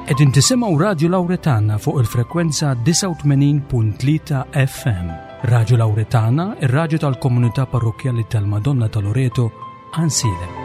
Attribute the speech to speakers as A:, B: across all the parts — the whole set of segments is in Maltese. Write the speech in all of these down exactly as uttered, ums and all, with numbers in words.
A: Qegħdin tisimgħu Radju Lawretana fuq il-frekwenza disgħa u tmenin punt tlieta F M. Radju Lawretana, ir-radju tal-komunità parrokkjali tal-Madonna ta' Loreto, Għajnsielem.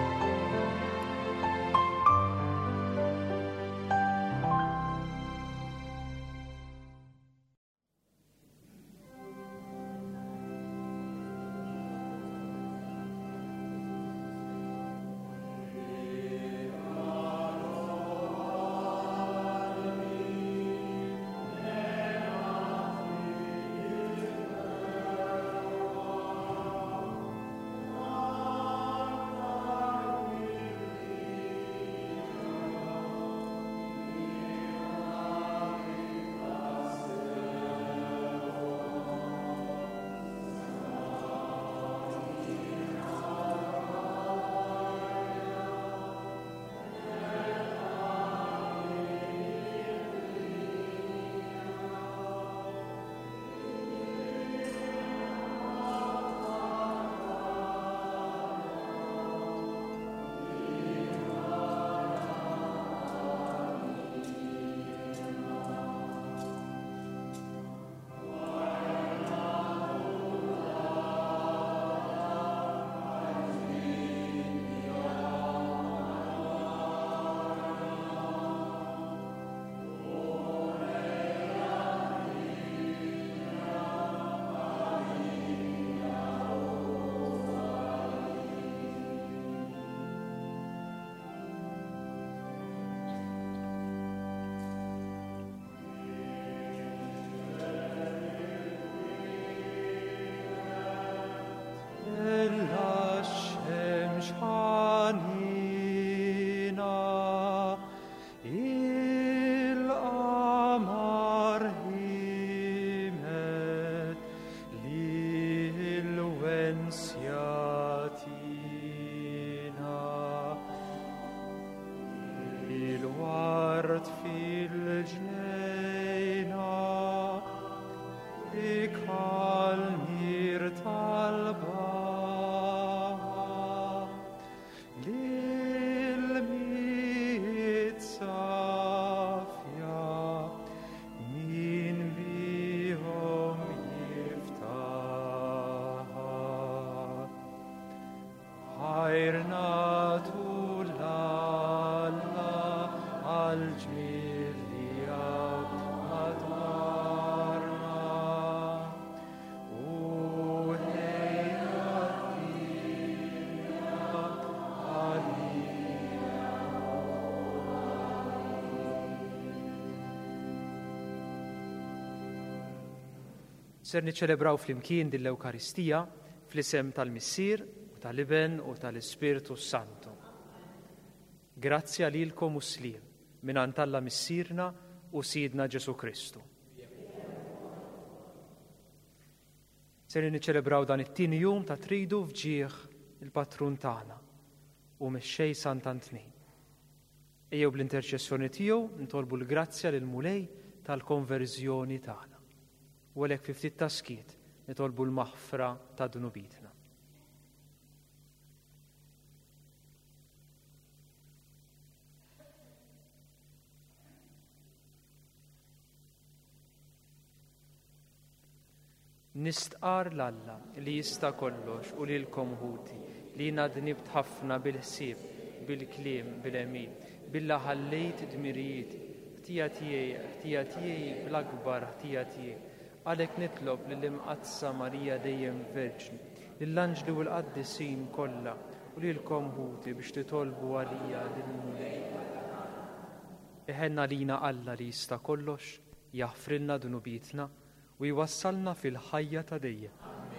B: Ser niċċelebraw flimkien din l-Ewkaristija fl-isem tal-Missier u tal-Iben u tal-Ispirtu Santu. Grazzi lilkom u sliem mingħand Alla Missierna u Sidna Ġesu Kristu. Ser niċċelebraw dan it-tieni jum ta' tridu f'ġieħ il-patrun tagħna u mexxej Sant'Antnin. Ejjew bl-interċessjoni tiegħu nitolbu l-grazzja lil Mulej tal-konverżjoni tagħna. U għalhekk fi ftit ta' skiet nitolbu l-maħfra ta' dnubitna. Nistqar l-Alla li jista' kollox u lilkom ħuti li jiena dnibt ħafna bil-ħsieb, bil-kliem, bil-għemil, billa ħallejt dmirijiet, ħtija tiegħi, ħtija tiegħi bl-akbar ħtija tiegħi. Għalhekk nitlob lill-Imqaddsa Marija dejjem Verġni, lill-anġli u l-qaddisin kollha u lilkom ħuti biex titolbu għalija lill-Mulej. Iħenna lina Alla li jista' kollox, jaħfrilna dnubietna u jwassalna fil-ħajja ta' dejjem.
C: Amen.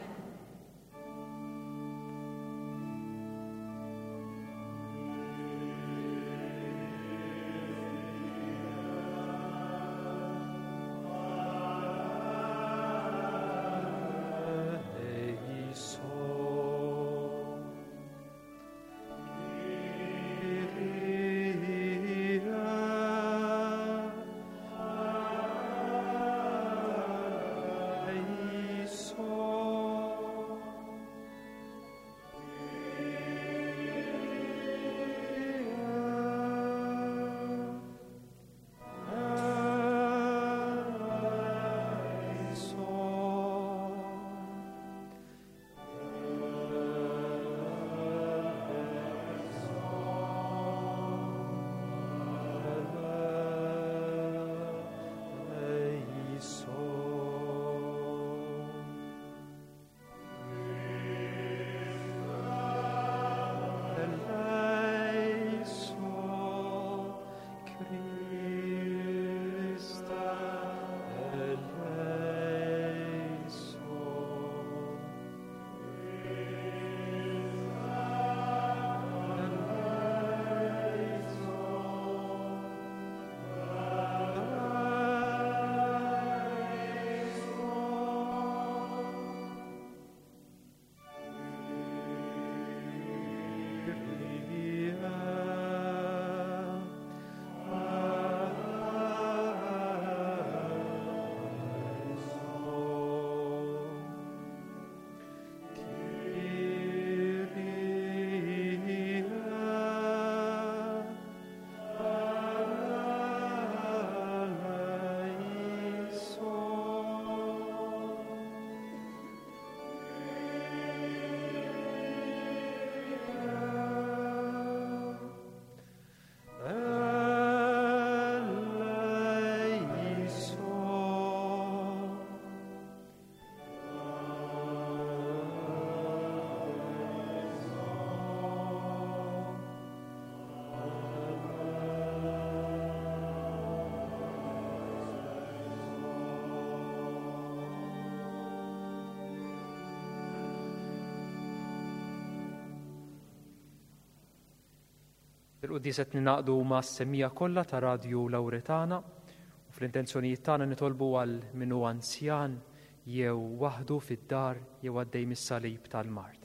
B: Il-quddiesa qed ningħaqdu mas-semmiegħa kollha ta' Radju Lawretana u fl-intenzjonijiet tagħna nitolbu għal min hu anzjan jew waħdu fid-dar jew għaddej mis-salib tal-mard.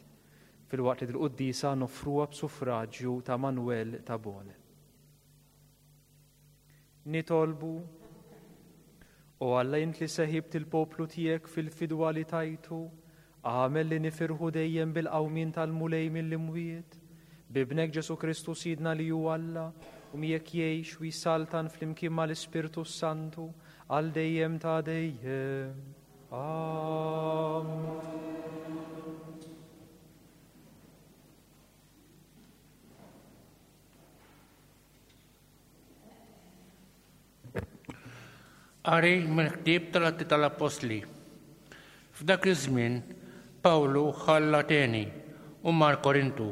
B: Filwaqt li dil-quddiesa noffruha b'suffraġġju ta' Manuel Tabone. Nitolbu, O Alla, int li seħibt il-poplu tiegħek fil-fidwa li tajtu, agħmel li nifirħu dejjem bil-qawmien tal-Mulej mill-imwiet, b'Ibnek Ġesù Kristu Sidna li hu Alla, u miegħek jgħix u jsaltan flimkien mal-Ispirtu Santu għal dejjem ta' dejjem. Amen.
C: Qari mill-ktieb tal-Atti tal-Appostli. F'dak iż-żmien Pawlu ħalla Ateni u mar Korintu.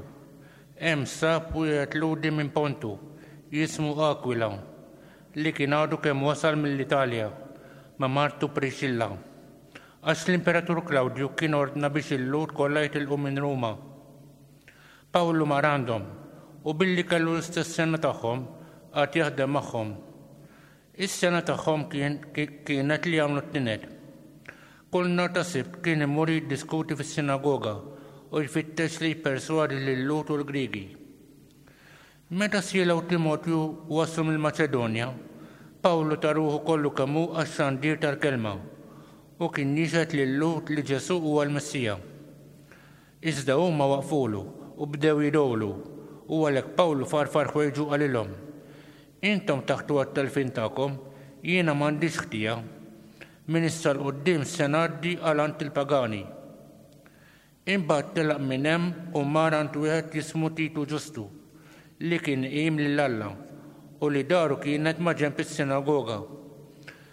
C: Hemm sab wieħed Lhudi minn Pontu jismu Aquila, li kien għadu kemm wasal mill-Italja ma' martu Priscilla, għax l-Imperatur Klawdju kien ordna biex il-Lhud kollha jitilqu minn Ruma. Pawlu mar għandhom u billi kellu l-istess sena tagħhom qagħad jaħdem magħhom. Is-sena tagħhom kienet li jagħmlu t-tined. Kull nhar ta' Sibt kien imur jiddiskuti fis-sinagoga u jfittex li jipperswadi lil-Lhud u l-Griegi. Meta Sila u Timotju waslu mill-Maċedonja, Pawlu ta ruħu kollu kemm hu għax-xandir tal-kelma u kien jixhed lil-Lhud li Ġesù huwa l-Messija. Iżda huma waqfulu u bdew jidgħulu, u għalhekk Pawlu farfar ħwejġu qalilhom: Intom taħtu għat-telfien tagħkom, jiena m'għandix ħtija. Minn issa 'l quddiem se ngħaddi għal għand il-pagani. Imbagħad telaq minn hemm u mar għand wieħed jismu Titu Ġustu, li kien iqim lil Alla u li daru kienet ma' ġenb is-sinagoga.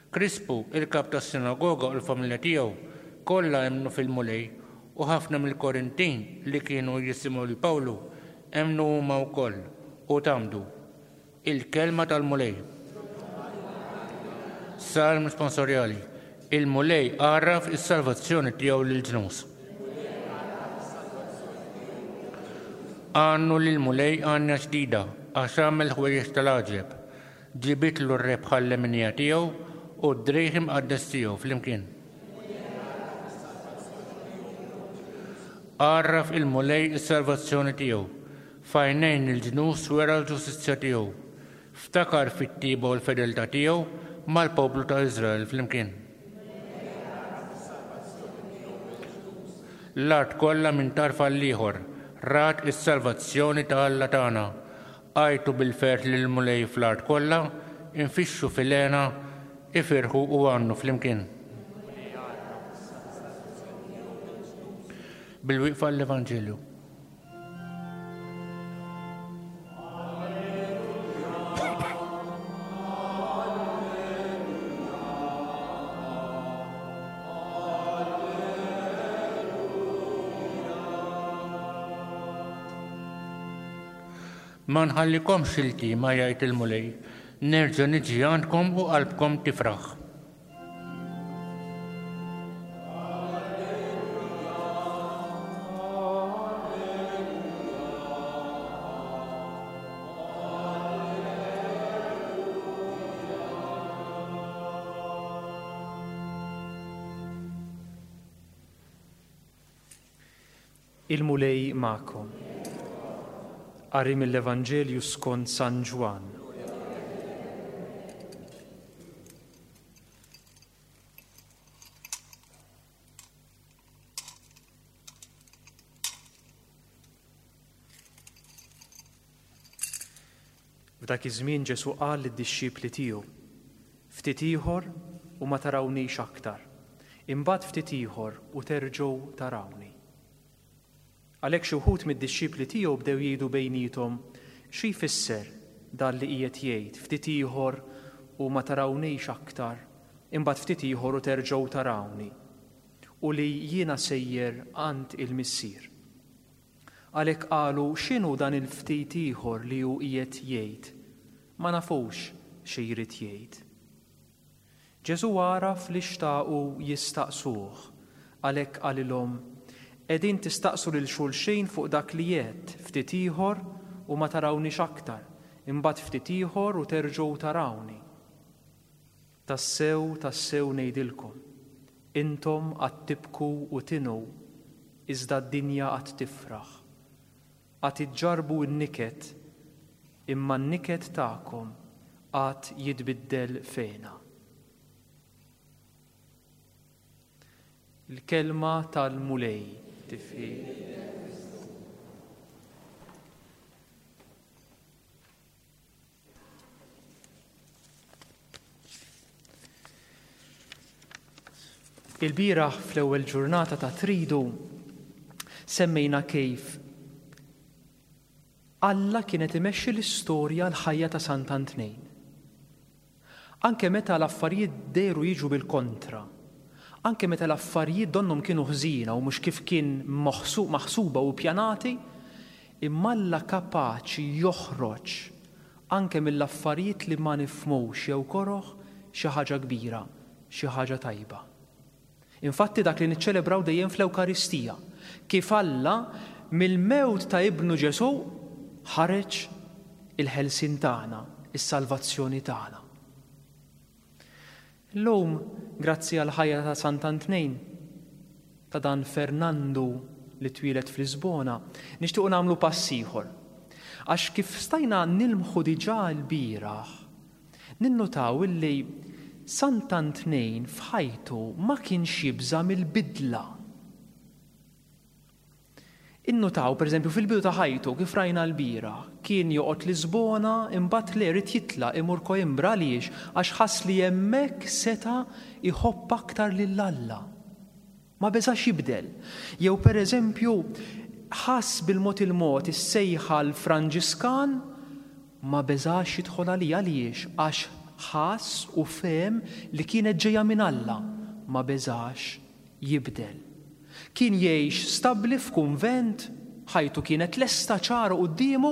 C: Krispu, il-kap tas-sinagoga u l-familja tiegħu kollha emmnu fil-Mulej, u ħafna mill-Korintin li kienu jisimgħu lil Pawlu emmnu huma wkoll u tgħammdu. Il-kelma tal-Mulej. Salm sponsorjali. Il-Mulej għarraf is-salvazzjoni tiegħu lill-ġnus. Għannu lill-Mulej għanja ġdida, għax għamel ħwejjeġ tal-għaġeb. Ġibitlu r-rebħa l-leminija tiegħu u d-drejħ imqaddes tiegħu flimkien. Għarraf il-Mulej is-salvazzjoni tiegħu, f'għajnejn il-ġnus wera l-ġustizzja tiegħu. Ftakar fit-tiba u l-fedeltà tiegħu mal-poplu ta' Iżrael flimkien. L-art kollha minn tarf għall-ieħor rat is-salvazzjoni ta' Alla tagħna. Għajtu bil-ferħ lill-Mulej fl-art kollha, infixxu fil-hena, ifirħu u għannu flimkien. Bil-wieqfa l-Evanġelju. Ma nħallikomx iltima, jgħid il-Mulej, nerġa' niġi għandkom u qalbkom tifraħ.
B: Il-Mulej magħkom. Qari mill-Evanġelju skont San Ġwann. F'dak iż-żmien Ġesù qal lid-dixxipli tiegħu: Ftit ieħor u ma tarawnix aktar, imbagħad ftit ieħor u terġgħu tarawni. Għalhekk xi wħud mid-dixxipli tiegħu bdew jgħidu bejniethom: Xi jfisser dan li qiegħed jgħid, ftit ieħor u ma tarawnix aktar, imbagħad ftit ieħor u terġgħu tarawni, u li jiena sejjer għand il-Missier. Għalhekk qalu: X'inhu dan il-ftit ieħor li hu qiegħed jgħid? Ma nafux xi jrid jgħid. Ġesù għaraf li xtaqu jistaqsuh, għalhekk qalilhom: Qegħdin tistaqsu lil xulxin fuq dak li għedt, ftit ieħor u ma tarawnix aktar, Imbagħad ftit ieħor u terġgħu tarawni. Tassew, tassew ngħidilkom, intom għad tibku u tinu, iżda d-dinja għad tifraħ. Għad iġġarbu n-niket, imma n-niket tagħkom għad jitbiddel f'hena. Il-kelma tal-Mulej tifħir. Il-bieraħ fl-ewwel ġurnata ta' Tridu semmejna kif Alla kienet imexxi l-istorja l-ħajja ta' Sant'Antnejn. Anke meta l-affarijiet dehru jiġu bil-kontra, anke meta l-affarijiet donnhom kienu ħżiena u mhux kif kien maħsuba u pjanati, imma Alla kapaċi joħroġ anke mill-affarijiet li ma nifhmux jew koroh xi ħaġa kbira, xi ħaġa tajba. Infatti dak li niċċelebraw dejjem fl-Ewkaristija, kif Alla mill-mewt ta' ibnu Ġesù ħareġ il-ħelsien tagħna, is-salvazzjoni tagħna. Illum, grazzi għal ħajja ta' Sant'Antnejn, ta' dan Fernandu li twieled f'Lisbona, nixtiequ nagħmlu pass ieħor. Għax kif stajna nilmħu diġà l-bieraħ, ninnutaw illi Sant'Antnejn f'ħajtu ma kienx jibża' mill-bidla. Innutaw, per eżempju, fil-bidu ta' ħajtu, kif rajna l-bieraħ, kien joqgħod Lisbona, imbagħad le rid jitlaq imur Coimbra. Għaliex? Għax ħass li hemmhekk seta' jħobb aktar lil Alla. Ma beżax jibdel. Jew per eżempju, ħass bil-mod il-mod is-sejħa l-Franġiskan, ma beżax jidħol għalija. Għaliex? Għax ħass u fehem li kienet ġejja minn Alla, ma beżax jibdel. Kien jgħix stabbli f'kunvent, ħajtu kienet lesta ċara quddiemu,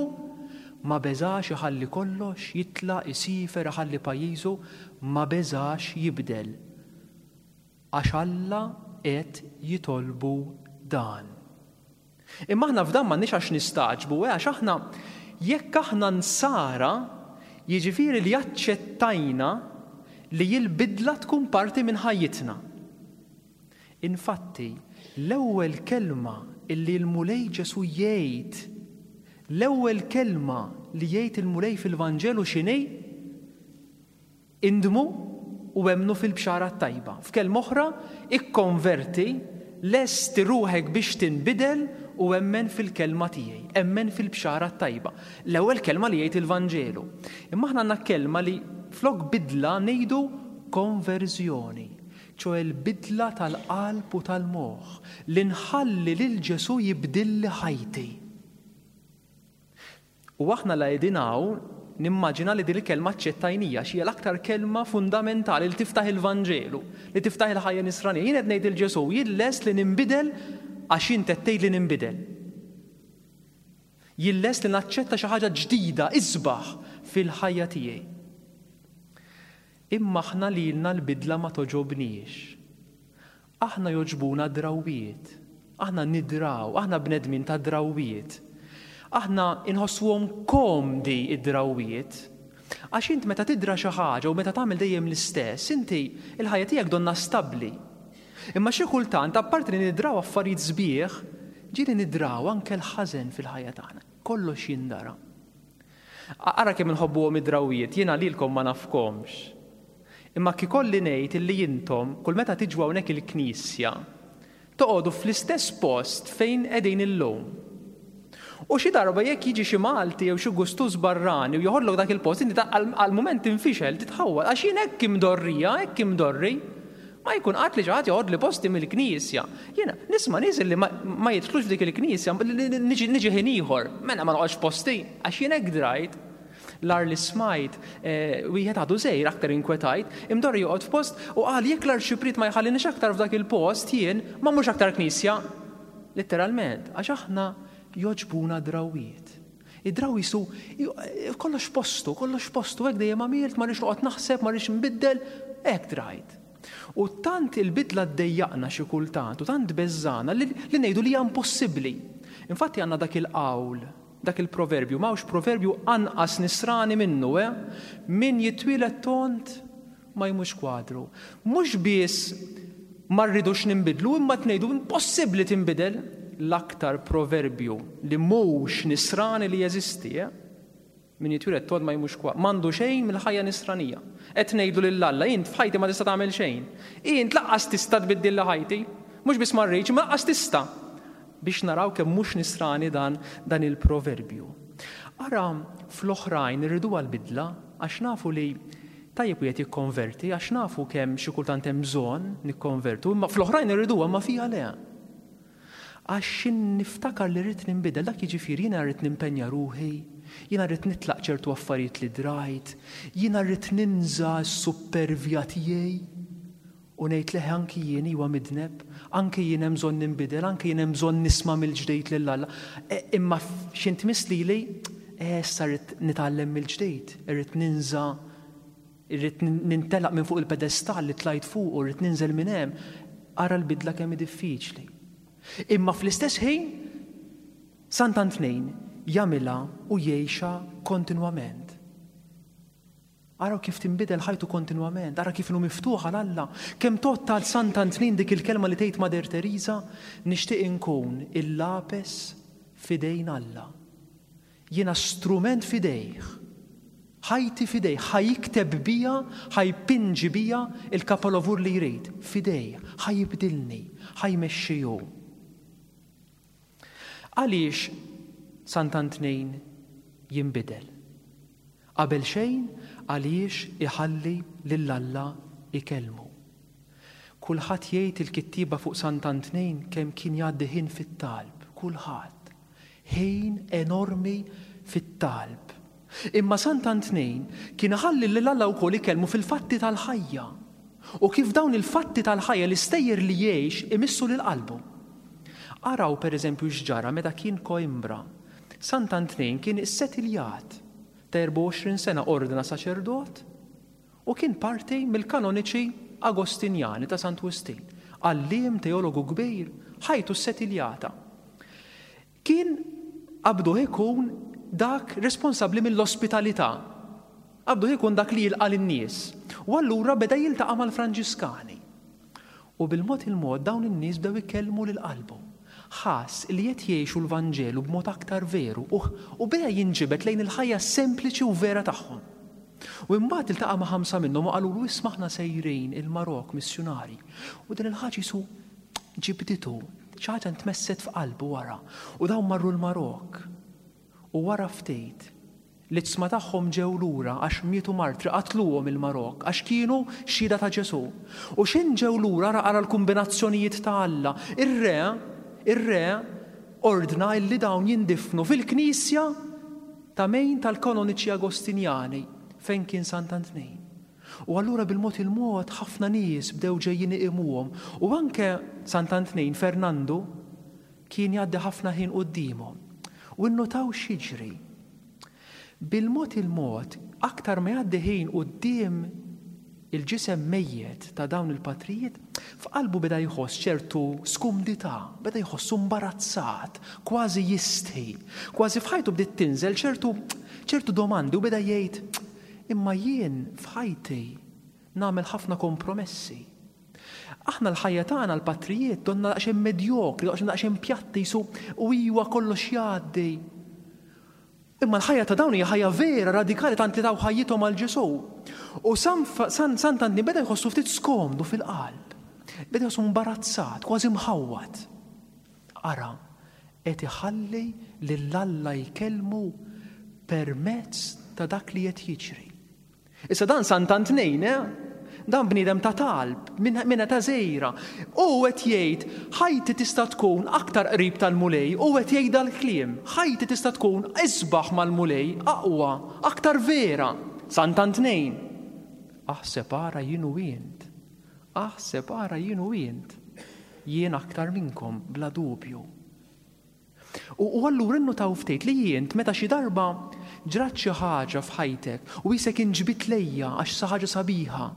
B: ma beżax iħalli kollox, jitlaq, isifer, iħalli pajjiżu, ma beżax jibdel. Għax Alla qed jitolbu dan. Imma aħna f'dan m'għandniex għax nistagħġbu, eh, għax aħna jekk aħna nsara, jiġifieri li aċċettajna li l-bidla tkun parti minn ħajjitna. Infatti, l-ewwel kelma illi l-Mulej Ġesù jgħid, l-ewwel kelma li jgħid il-Mulej fil-Vanġelu x'inhi? Indmu u emmnu fil-bxara t-tajba. F'kelma oħra, ikkonverti, lesti ruħek biex tinbidel u emmen fil-kelma tiegħi, emmen fil-bxara t-tajba. L-ewwel kelma li jgħid il-Vanġelu. Imma aħna għandna kelma li flok bidla ngħidu konverżjoni, ċoe l-bidla tal-qalb u tal-moħħ, li nħalli lil Ġesù jibdilli ħajti. U aħna la qegħdin hawn nimmaġina li din il-kelma aċċettajnija, xi hija l-aktar kelma fundamentali li tiftaħ il-Vanġelu, li tiftaħ il-ħajja nisranija. Jien qed ngħid il Ġesù, jien lest li ninbidel għax int qed tgħid li ninbidel. Jien lest li naċċetta xi ħaġa ġdida, isbaħ fil-ħajja tiegħi. Imma aħna lilna l-bidla ma toġobniex. Aħna joġbuna drawiet. Aħna nidraw, aħna bnedmin ta' drawiet. Aħna inħossuhom komdi id-drawiet. Għax int meta tidra xi ħaġa u meta tagħmel dejjem l-istess, inti il-ħajja tiegħek donna stabbli. Imma xi kultant, apparti li nidraw affarijiet sbieħ, ġieli nidraw anke l-ħażen fil-ħajja tagħna. Kollox jindara. Ara kemm inħobbuhom id-drawiet, jiena lilkom ma nafkomx. Imma kikolli ngħid illi intom kull meta tiġu hawnhekk il-knisja toqogħdu fl-istess post fejn qegħdin illum. U xi darba jekk jiġi xi Malti jew xi gustuż barrani u joħodlok dak il-post, inti għal-mument tinfixel, titħawwel, għax jien hekk imdorrija, hekk imdorri. Ma jkun qatt li xi ħadd joħodli posti mill-knisja. Jiena nisma' nies li ma jidħlux f'dik il-knisja, niġi ħin ieħor, mela ma noqgħodx posti, għax jien hekk drajt. L-ar li smajt, wieħed għadu żgħir aktar inkwetajt, imdorri joqgħod f'post u qal jekk l-arċipriet ma jħallinix aktar f'dak il-post jien ma mhux aktar knisja. Letteralment, għax aħna joġbuna drawiet. Id-draw jisu kollox postu, kollox postu, hekk dejjem għamilt, ma rridx noqgħod naħseb, ma rridx nbiddel, hekk drajt. U tant il-bidla ddejjaqna xi kultant, u tant beżżana li ngħidu li hija impossibbli. Infatti għandna dak il-qawl, Dak il-proverbju, m'hawnx proverbju anqas nisrani minnu, eh? Min jitwieled tond ma jmurx kwadru. Mhux biss ma rridux ninbidlu, imma tnejdu impossibbli tinbidel. L-aktar proverbju li mhux nisrani li jeżisti, eh? Min jitwieled tond ma jmurx kwadru. M'għandu xejn mill-ħajja nisranija. Qed ngħidu lil Alla, int f'ħajti ma tista' tagħmel xejn. Int lanqas tista' tbiddilli ħajti. Mhux biss ma rridx, ma lanqas tista'. Biex naraw kemm mhux nisrani dan, dan il-proverbju. Ara fl-oħrajn irridu għal-bidla, għax nafu li tajjeb wieħed jikkonverti, għax nafu kemm xi kultant hemm bżonn nikkonvertu, imma fl-oħrajn irriduha, ma fija le. Għax niftakar li rrid ninbidel, dak jiġifieri jiena rrid nimpenja ruħi, jiena rrid nitlaq ċertu affarijiet li drajt, jiena rrid ninża s-supervja tiegħi u ngħid leħ anki jien huwa midneb, anki jien hemm bżonn ninbidel, anki jien hemm bżonn nisma' mill-ġdid lil Alla. E, imma x'int lili, e, issa rrid nitgħallem mill-ġdid, irrid ninża, irrid nintelaq minn fuq il-pedestal li tlajt fuq u rrid ninżel minn hemm. Ara l-bidla kemm hi diffiċli. Imma fl-istess ħin, Sant'Antnin jagħmilha u jgħixha kontinwament. Araw kif tinbidel ħajtu kontinwament, ara kif inhu miftuħ għal Alla. Kemm tgħodd għal Sant'Antnin dik il-kelma li tgħid Mother Teresa, nixtieq inkun il-lapes f'idejn Alla. Jiena strument f'idejh, ħajti f'idejh, ħa jikteb bija, ħa jpinġi bija il-kapolavur li jrid, f'idejh, ħa jibdilni, ħa jmexxi hu. Għaliex Sant'Antnin jinbidel? Qabel xejn għaliex iħalli lil Alla ikellmu. Kulħadd jgħid il-kittiba fuq Sant'Antnin kemm kien jgħaddi ħin fit-talb, kulħadd. Ħin enormi fit-talb. Imma Sant'Antnin kien iħalli lil Alla wkoll ikellmu fil-fatti tal-ħajja. U kif dawn il-fatti tal-ħajja l-istejjer li jgħix imissu lil qalbu. Araw per eżempju x'ġara meta kien Coimbra. Sant'Antnin kien issetiljat ta' erbgħa u għoxrin sena ordna saċerdot u kien parti mill-kanoniċi Agostinjani ta' Sant Wistin. Għalliem teologu kbir, ħajtu ssetiljata. Kien qabduh ikun dak responsabbli mill-ospitalità. Qabduh ikun dak li jilqa' lin-nies. U allura beda jiltaqa' mal-Franġiskani. U bil-mod il-mod dawn in-nies bdew ikellmu lil qalbu. Ħass li qed jgħixu l-Vanġelu b'mod aktar veru u, u beda jinġibed lejn il-ħajja sempliċi u vera tagħhom. U imbagħad iltaqa' ma' ħamsa minnhom u qalulu isma' aħna sejrin il-Marok missjunari. U din il-ħaġa jisu ġibditu, xi ħaġa ntmesset f'qalbu wara. U dawn marru l-Marok. U wara ftit l-iġsma tagħhom ġew lura għax mietu martri, qatluhom il-Marok għax kienu xhieda ta' Ġesù. U x'in ġew lura ara ara l-kombinazzjonijiet ta' Alla. Ir-re, ir-re ordna illi dawn jindifnu fil-knisja ta' mejn tal-kanoniċi Agostinjani fejn kien Sant'Antnin. U allura bil-mod il-mod ħafna nies bdew ġejjin iqimuhom. U anke Sant'Antnin Fernando kien jgħaddi ħafna ħin quddiemhom. U nnotaw x'jiġri. Bil-mod il-mod, aktar ma jgħaddi ħin quddiem il-ġisem mejjet ta' dawn il-patrijiet, f'qalbu beda jħoss ċertu skumdità, beda jħossu imbarazzat, kważi jistħi, kważi f'ħajtu bdiet tinżel ċertu, ċertu domandi u beda jgħid, imma jien f'ħajti nagħmel ħafna kompromessi. Aħna l-ħajja tagħna l-patrijiet donna daqsxejn medjokri, daqsxejn daqsxejn pjatti jisu u iwa kollox jgħaddi. Imma l-ħajja ta' dawn hija ħajja vera, radikali, tant li taw ħajjithom għal Ġesù. U San Fa-, San, Sant'Antnin beda jħossu ftit skomdu fil-qalb. Beda jħossu imbarazzat, kważi mħawwad. Ara, qed iħalli lil Alla jkellmu permezz ta' dak li qed jiġri. Issa dan Sant'Antnin, eh? Dan bniedem ta' talb, minn, minn ta' żejra. U qed jgħid, ħajti tista' tkun aktar qrib tal-Mulej, u qed jgħid dal-kliem, ħajti tista' tkun isbaħ mal-Mulej, aqwa, aktar vera. Sant'Antnin. Aħseb ara jien u int. Aħseb ara jien u int. Jien aktar minnkom, bla dubju. U, u allura innutaw ftit li jint meta xi darba ġrat xi ħaġa f'ħajtek u isek inġbit lejja għax sa ħaġa sabiħa,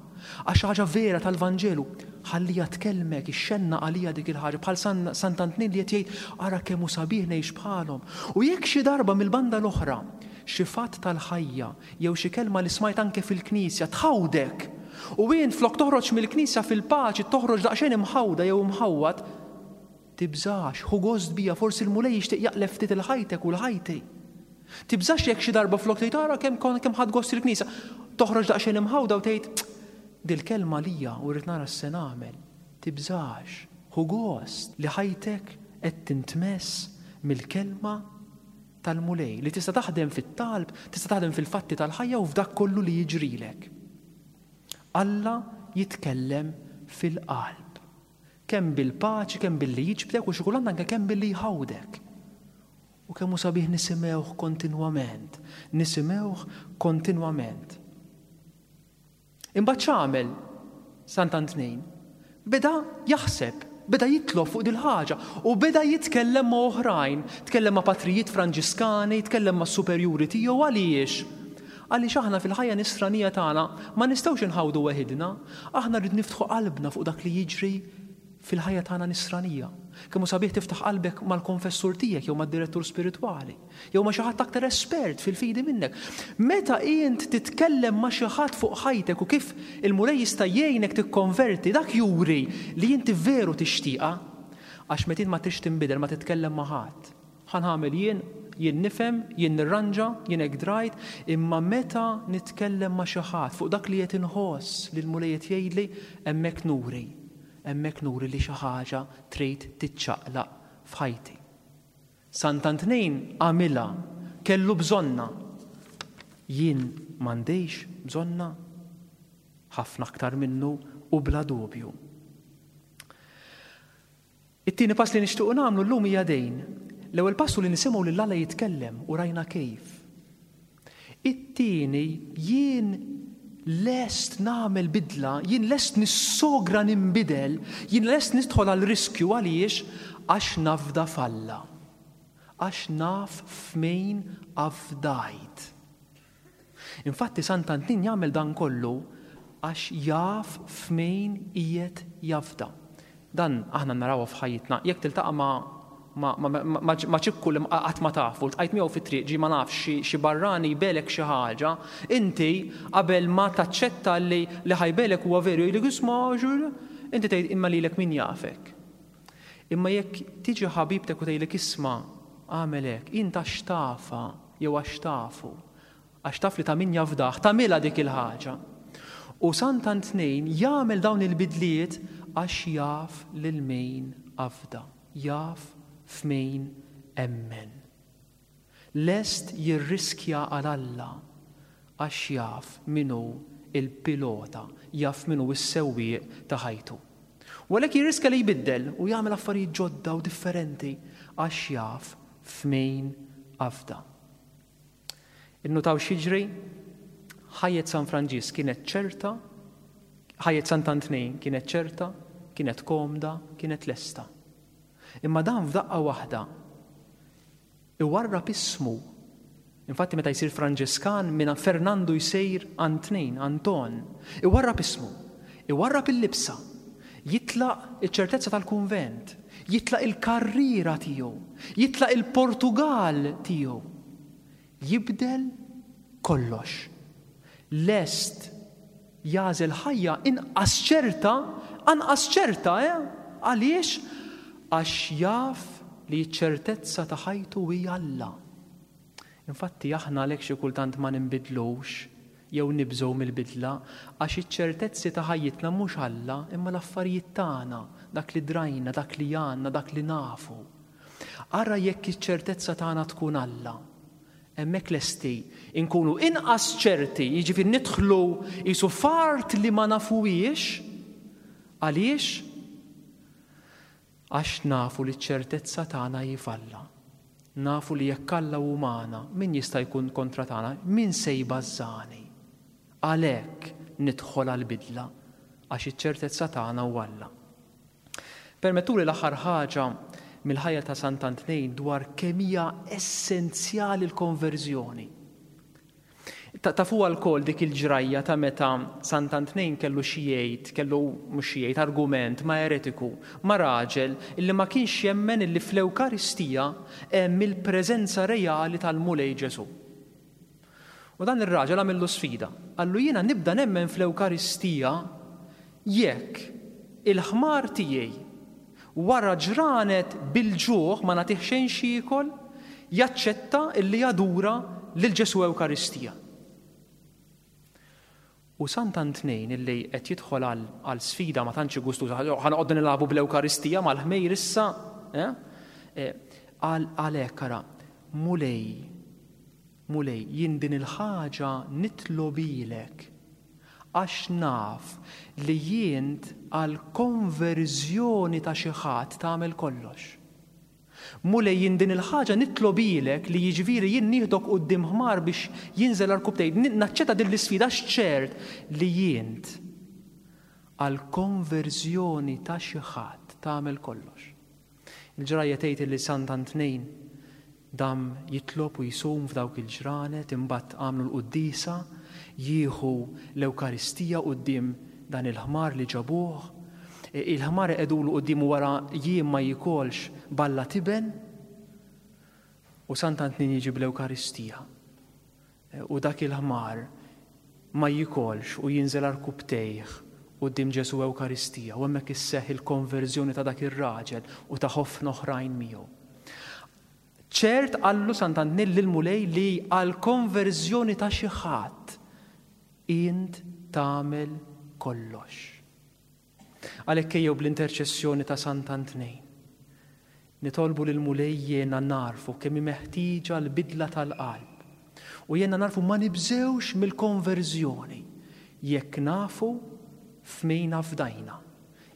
D: Għax ħaġa vera tal-Vanġelu, ħallija tkellmek, ixxenna għalija dik il-ħaġa, bħal Sant'Antnin li qed jgħid ara kemm hu sabiħ ngħix bħalhom. U jekk xi darba mill-banda l-oħra, xi fatt tal-ħajja jew xi kelma li smajt anke fil-knisja tħawdek, u int flok toħroġ mill-knisja fil-paċi toħroġ daqsxejn imħawda jew imħawwad, tibżax, ħu gost bija, forsi l-Mulej jixtieq jaqleb ftit il-ħajtek u l-ħajti. Tibżax jekk xi darba flok tgħid ara kemm kemm ħadt gost il-knisja, toħroġ daqsxejn imħawda u tgħid dil-kelma lija u rrid nara x'se nagħmel. Tibżax, ħu gost li ħajtek qed tintmess mill-kelma tal-Mulej li tista' taħdem fit-talb, tista' taħdem fil-fatti tal-ħajja u f'dak kollu li jiġrilek. Alla jitkellem fil-qalb. Kemm bil-paċi, kemm billi jiġbdek u xi kultant anke kemm billi jħawdek. U kemm hu sabiħ nisimgħuh kontinwament, nisimgħuh kontinwament. Imbagħad x'għamel Sant'Antnin? Beda jaħseb, beda jitlob fuq dil-ħaġa u beda jitkellem ma' oħrajn, tkellem ma' patrijiet Franġiskani, tkellem ma' superjuri tiegħu. Għaliex? Għaliex aħna fil-ħajja nisranija tagħna ma nistgħux inħawdu weħidna, aħna rrid niftħu qalbna fuq dak li jiġri fil-ħajja tagħna nisranija. Kemm hu sabiħ tiftaħ qalbek mal-konfessur tiegħek jew mad-direttur spiritwali, jew ma' xi ħadd aktar espert fil-fidi minnek. Meta int titkellem ma' xi ħadd fuq ħajtek u kif il-Mulej jista' jgħinek tikkonverti, dak juri li inti veru tixtieqha. Għax meta int ma trix tinbidel ma titkellem ma' ħadd. Ħa nagħmel jien, jien nifhem, jien nirranġa, jien hekk drajt, imma meta nitkellem ma' xi ħadd fuq dak li qed inħoss li l-Mulej qed jgħidli, hemmhekk nuri. Hemmhekk nuri li xi ħaġa trid tiċċaqlaq f'ħajti. Sant'Antnin għamilha, kellu bżonna. Jien m'għandix bżonna ħafna aktar minnu u bla dubju. It-tieni pass li nixtiequ nagħmlu llum hija dejn. L-ewwel pass hu li nisimgħu lil Alla jitkellem u rajna kif. It-tieni, jien lest nagħmel bidla, jien lest nissogra ninbidel, jien lest nidħol għal riskju. Għaliex? Għax nafda f'Alla. Għax naf f'min afdajt. Infatti Sant'Antnin jagħmel dan kollu għax jaf f'min qiegħed jafda. Dan aħna narawha f'ħajjitna. Jekk tiltaqa' ma' ma, ma, ma, ma, ma ċikku li qatt ma tafu, ltqajt miegħu fit-triq, ġi ma nafx xi, xi barrani jbelek xi ħaġa, inti qabel ma taċċetta li, li ħajbelek huwa veru, jgħidlek isma' ġur, inti tgħid imma lilek min jafek. Imma jekk tiġi ħabibtek u tgħidlek isma' għamel hekk, int għax tafa jew għax tafu, għax taf li ta' min jafdaħ, tagħmilha dik il-ħaġa. U Sant'Antnin jagħmel dawn il-bidliet għax jaf lil min afda, jaf f'min emmen. Lest jirriskja għal Alla għax jaf min hu il-pilota, jaf min hu s-sewwieq ta' ħajtu. U għalhekk jirriskja li jbiddel u jagħmel affarijiet ġodda u differenti għax jaf f'min afda. Innutaw x'jiġri? Ħajjet San Franġisk kienet ċerta, ħajjet Sant'Antnin kienet ċerta, kienet komda, kienet lesta. Imma dan f'daqqa waħda iwarrab ismu. Infatti meta jsir Franġiskan minn Fernando jsir Antnin, Anton, iwarrab ismu, iwarrab il-libsa, jitlaq iċ-ċertezza tal-kunvent, jitlaq il-karriera tiegħu, jitlaq il-Portugal tiegħu. Jibdel kollox. Lest jagħżel ħajja inqas ċerta, anqas ċerta, eh? Għaliex? Għax jaf li ċ-ċertezza ta' ħajtu hija Alla. Infatti aħna għalhekk xi kultant ma ninbidlux jew nibżgħu mill-bidla, għax iċ-ċertezzi ta' ħajjitna mhux Alla, imma l-affarijiet tagħna, dak li drajna, dak li għandna, dak li nafu. Ara jekk iċ-ċertezza tagħna tkun Alla. Hemmhekk lesti inkunu inqas ċerti, jiġifieri nidħlu qisu fart li ma nafuhiex. Għaliex? Għax nafu li ċ-ċertezza tagħna hi f'Alla. Nafu li jekk Alla hu magħna, min jista' jkun kontra tagħna? Min se jbażżani? Għalhekk nidħol għall-bidla, għax iċ-ċertezza tagħna hu Alla. Permettuli l-aħħar ħaġa mill-ħajja ta' Sant'Antnin dwar kemm hija essenzjali l-konverżjoni. Tafu għal dik il-ġrajja ta' meta Sant'Antnin kellu xi jgħid, kellu mhux xi jgħid argument ma' eretiku, ma' raġel illi ma kienx jemmen illi fl-Ewkaristija hemm il-preżenza reali tal-Mulej Ġesù. U dan ir-raġel għamillu sfida. Qallu jiena nibda nemmen fl-Ewkaristija jekk il-ħmar tiegħi wara ġranet bil-ġuħ ma nagħtih xejn x'jiekol, jaċċetta illi jadura lil Ġesù Ewkaristija. U Sant'Antnin illi qed jidħol għal sfida ma tantx gustuża, ħa noqogħdu nilagħbu bl-Ewkaristija mal-ħmejr issa, għalhekk ara, Mulej, Mulej, jien din il-ħaġa nitlobilek għax naf li jint għal konverżjoni ta' xi ħadd tagħmel kollox. Mulej, jien din il-ħaġa nitlobilek li jiġifieri jien nieħdok quddiem ħmar biex jinżel għal rkubbtejh. Naċċetta din l-isfida x'ċert li jint għal konverżjoni ta' xi ħadd tagħmel kollox. Il-ġrajja tgħid li Sant'Antnin dam jitlob u jisum f'dawk il-ġranet, imbagħad għamlu l-quddiesa, jieħu l-Ewkaristija quddiem dan il-ħmar li ġabuh. Il-ħmar iqegħdulu quddiemu wara jiem ma jikolx balla tiben, u Sant'Antnin jiġi bl-Ewkaristija. U dak il-ħmar ma jikolx u jinżel għal rkubbtejh quddiem Ġesù Ewkaristija, u hemmhekk isseħħ il-konverżjoni ta' dak ir-raġel u ta' ħafna oħrajn miegħu. Ċert qallu Sant'Antnin lill-Mulej li għal konverżjoni ta' xi ħadd int tagħmel kollox. Għalhekk ejjew bl-interċessjoni ta' Sant'Antnin nitolbu lill-Mulej jiena narfu kemm hi meħtieġa l-bidla tal-qalb u jiena narfu ma nibżewx mill-konverżjoni jekk nafu f'min afdajna,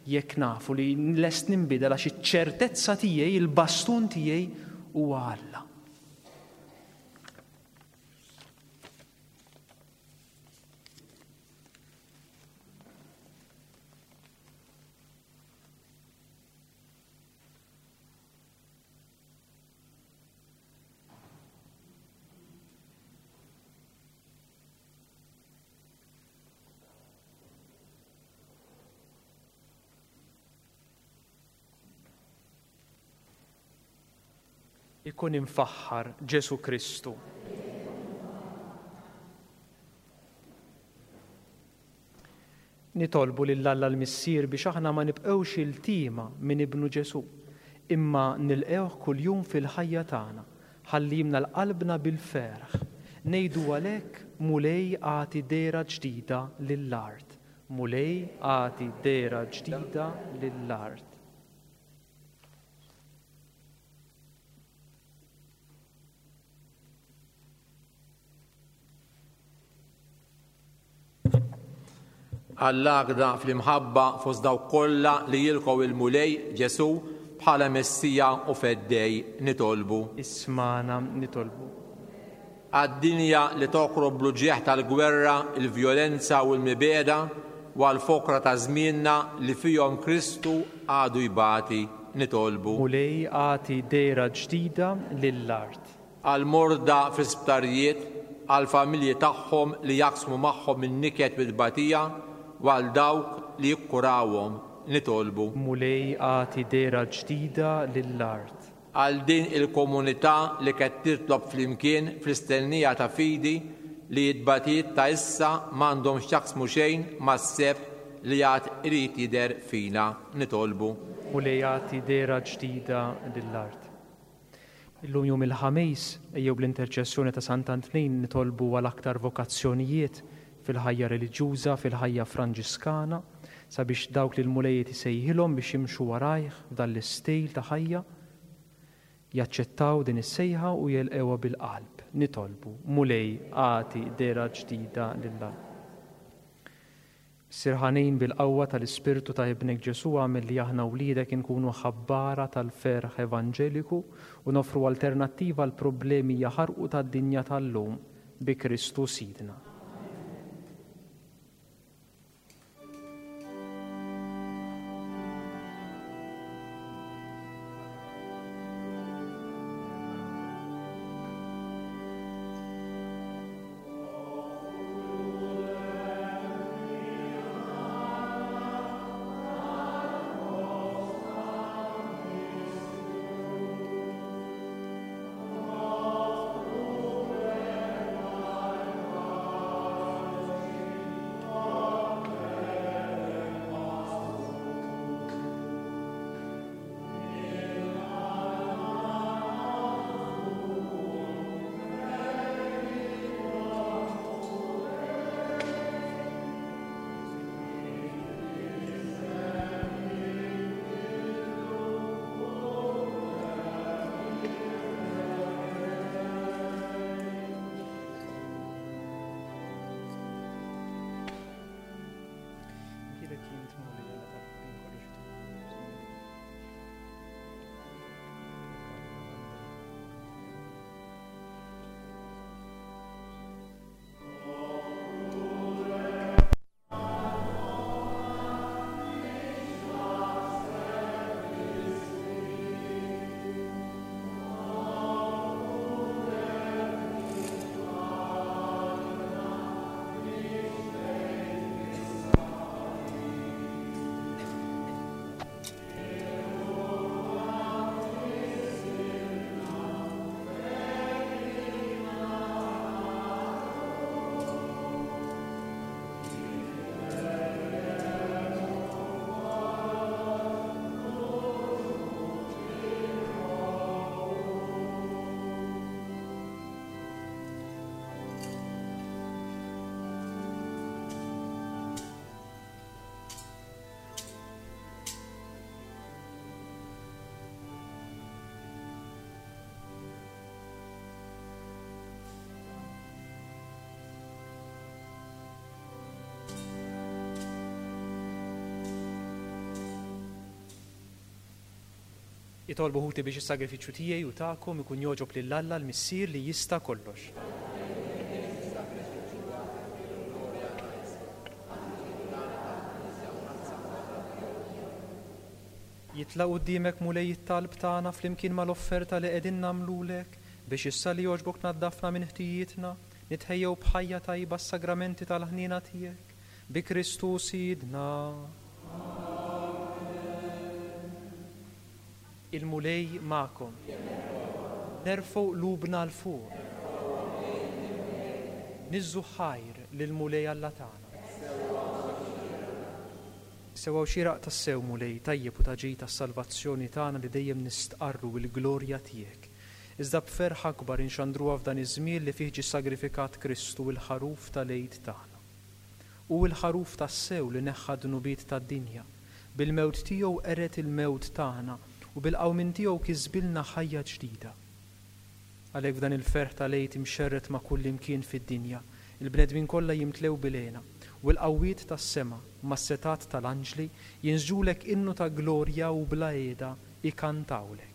D: jekk nafu li lest ninbidel għax iċ-ċertezza tiegħi, il-bastun tiegħi huwa Alla. Ikun imfaħħar Ġesù Kristu. Nitolbu lil Alla l-Missier biex aħna ma nibqgħux iltiema minn ibnu Ġesù, imma nilqgħuh kuljum fil-ħajja tagħna, ħalli jimla qalbna bil-ferħ. Ngħidu għalhekk, Mulej agħti dehra ġdida lill-art. Mulej agħti dehra ġdida lill-art.
E: Għall-għaqda fl-imħabba fost dawk kollha li jilqgħu il-Mulej Ġesù bħala Messija u Feddej nitolbu.
B: Ismagħna nitolbu.
E: Għad-dinja li tokrob bl-uġigħ tal-gwerra, il-vjolenza u l-mibegħda, u għall-foqra ta' żmienna li fihom Kristu għadu jbati nitolbu.
B: Mulej agħti dehra ġdida lill-art.
E: Għall-morda fl-isptarijiet, għall-familji tagħhom li jaqsmu magħhom in-niket bil-batija, u għal dawk li jikkurawhom nitolbu.
B: Mulej agħti dehra ġdida lill-art.
E: Għal din il-komunità li qed titlob flimkien fl-istennija ta' fidi li t-tbatijiet ta' issa m'għandhom x'jaqsmu xejn mas-sebħ li għad irid jidher fina nitolbu.
B: Mulej agħti dehra ġdida lill-art. Illum jum il-Ħamis, ejjew bl-interċessjoni ta' Sant'Antnin nitolbu għal aktar vokazzjonijiet fil-ħajja reliġjuża, fil-ħajja franġiskana, sabiex dawk li l-Mulej isejħilhom biex jimxu warajh f'dan l-istil ta' ħajja, jaċċettaw din is-sejħa u jilqewha bil-qalb. Nitolbu, Mulej agħti dehra ġdida lill-art. Missier ħanin bil-qawwa tal-Ispirtu ta' Ibnek Ġesù għamel li aħna wliedek inkunu ħabbara tal-ferħ evanġeliku u nofru alternattiva għal problemi jaħarqu tad-dinja tal-lum bi Kristu Sidna.
D: Itolbu ħuti biex is-sagrifiċċju tiegħi u tagħkom ikun jogħġob lil Alla l-Missier li jista' kollox. Jitla' quddiemek Mulej it-talb tagħna flimkien mal-offerta li qegħdin nagħmlulek biex issa li jogħġbok naddafna minn ħtijietna, nitħejjew b'ħajja tajba s-sagramenti tal-ħniena tiegħek. Bi Kristu Sidna. Il-Mulej magħkom. Nerfgħu qlubna 'l fuq. Niżżu ħajr lill-Mulej Alla tagħna. Sewwa u xieraq tassew Mulej, tajjeb u ta' ġid tas-salvazzjoni tagħna li dejjem nistqarru l-glorja tiegħek. Iżda b'ferħ akbar inxandruha f'dan iż-żmien li fih ġie sagrifikat Kristu il-ħaruf tal-Għid tagħna. Hu l-ħaruf tassew li neħħa dnubiet tad-dinja. Bil-mewt tiegħu qered il-mewt tagħna u bil-qawmien tiegħu kisbilna ħajja ġdida. Għalhekk f'dan il-ferħ tal-Għid imxerred ma' kull imkien fid-dinja, il-bnedmin kollha jimtlew bil-hena u l-qawwiet tas-sema mas-setat tal-anġli jinsġulek innu ta' glorja u bla qiegħda ikantawlek.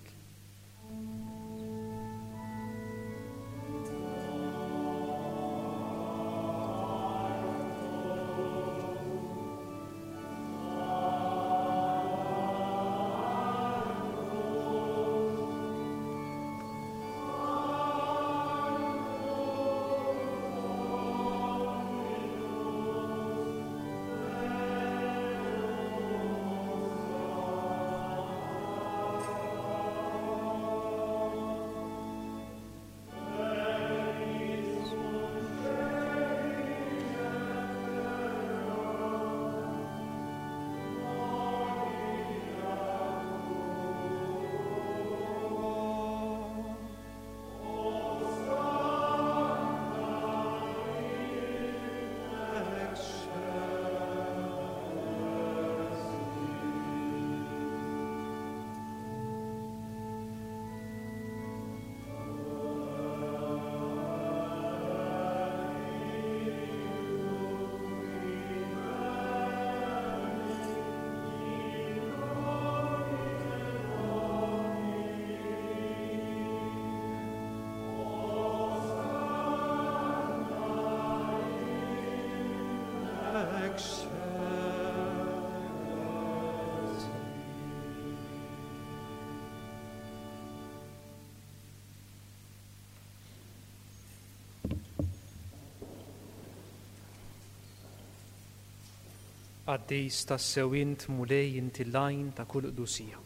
D: Qaddis tassew int Mulej inti l-għajn ta' kull qdusija.